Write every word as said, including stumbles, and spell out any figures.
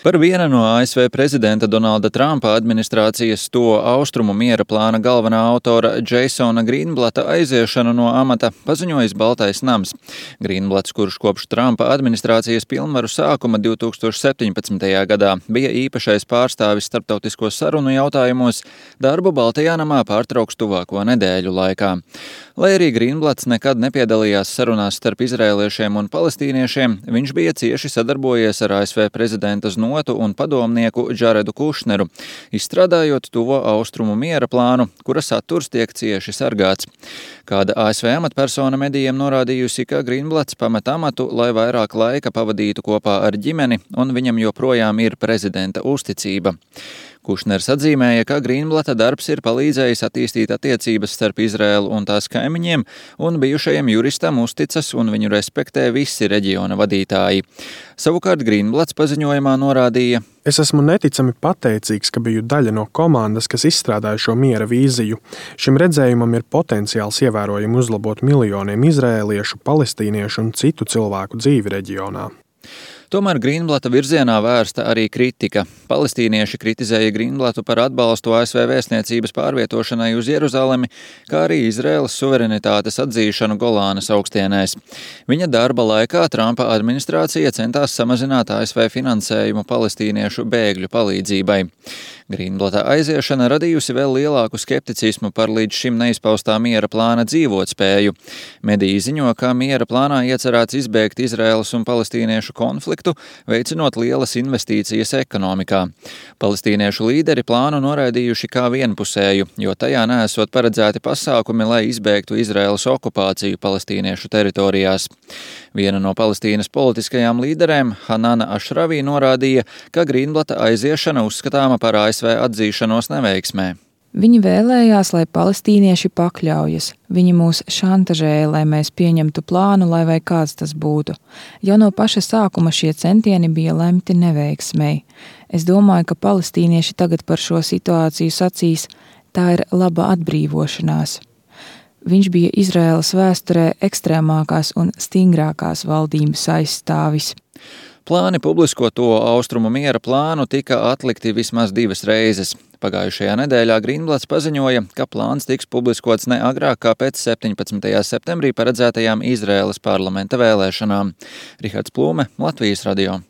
Par viena no A S V prezidenta Donalda Trumpa administrācijas to austrumu miera plāna galvenā autora Jasona Greenblata aiziešanu no amata paziņojis Baltais nams. Greenblats, kurš kopš Trumpa administrācijas pilnvaru sākuma divi tūkstoši septiņpadsmitajā gadā bija īpašais pārstāvis starptautisko sarunu jautājumos, darbu Baltajā namā pārtrauks tuvāko nedēļu laikā. Lai arī Greenblats nekad nepiedalījās sarunās starp izrēliešiem un palestīniešiem, viņš bija cieši sadarbojies ar A S V prezidenta znotu un padomnieku Džaredu Kušneru, izstrādājot tuvo austrumu miera plānu, kura saturs tiek cieši sargāts. Kāda A S V amatpersona medijiem norādījusi, ka Greenblats pamet amatu, lai vairāk laika pavadītu kopā ar ģimeni, un viņam joprojām ir prezidenta uzticība. Kušners atzīmēja, ka Greenblata darbs ir palīdzējis attīstīt attiecības starp Izraēlu un tās kaimiņiem, un bijušajam juristam uzticas un viņu respektē visi reģiona vadītāji. Savukārt Greenblats paziņojumā norādīja: Es esmu neticami pateicīgs, ka biju daļa no komandas, kas izstrādāja šo miera vīziju. Šim redzējumam ir potenciāls ievērojami uzlabot miljoniem izrēliešu, palestīniešu un citu cilvēku dzīvi reģionā. Tomēr Greenblata virzienā vērsta arī kritika. Palestīnieši kritizēja Greenblatu par atbalstu A S V vēstniecības pārvietošanai uz Jeruzalemi, kā arī Izraēlas suverenitātes atzīšanu Golānas augstienēs. Viņa darba laikā Trumpa administrācija centās samazināt A S V finansējumu palestīniešu bēgļu palīdzībai. Greenblata aiziešana radījusi vēl lielāku skepticismu par līdz šim neizpaustā miera plāna dzīvotspēju. Mediji ziņo, ka miera plānā iecerēts izbēgt Izraēlas un palestīniešu konfliktu, veicinot lielas investīcijas ekonomikā. Palestīniešu līderi plānu noraidījuši kā vienpusēju, jo tajā neesot paredzēti pasākumi, lai izbēgtu Izraēlas okupāciju palestīniešu teritorijās. Viena no Palestīnas politiskajām līderēm, Hanana Ašravī, norādīja, ka Greenblata aiziešana uzskatāma par A S V atzīšanos neveiksmē. Viņi vēlējās, lai palestīnieši pakļaujas. Viņi mūs šantažēja, lai mēs pieņemtu plānu, lai vai kāds tas būtu. Jau no paša sākuma šie centieni bija lemti neveiksmei. Es domāju, ka palestīnieši tagad par šo situāciju sacīs: tā ir laba atbrīvošanās. Viņš bija Izraēlas vēsturē ekstrēmākās un stingrākās valdības aizstāvis. Plāni publisko to austrumu miera plānu tika atlikti vismaz divas reizes. Pagājušajā nedēļā Greenblats paziņoja, ka plāns tiks publiskots ne agrāk kā pēc septiņpadsmitajā septembrī paredzētajām Izraēlas parlamenta vēlēšanām. Rihards Plūme, Latvijas radio.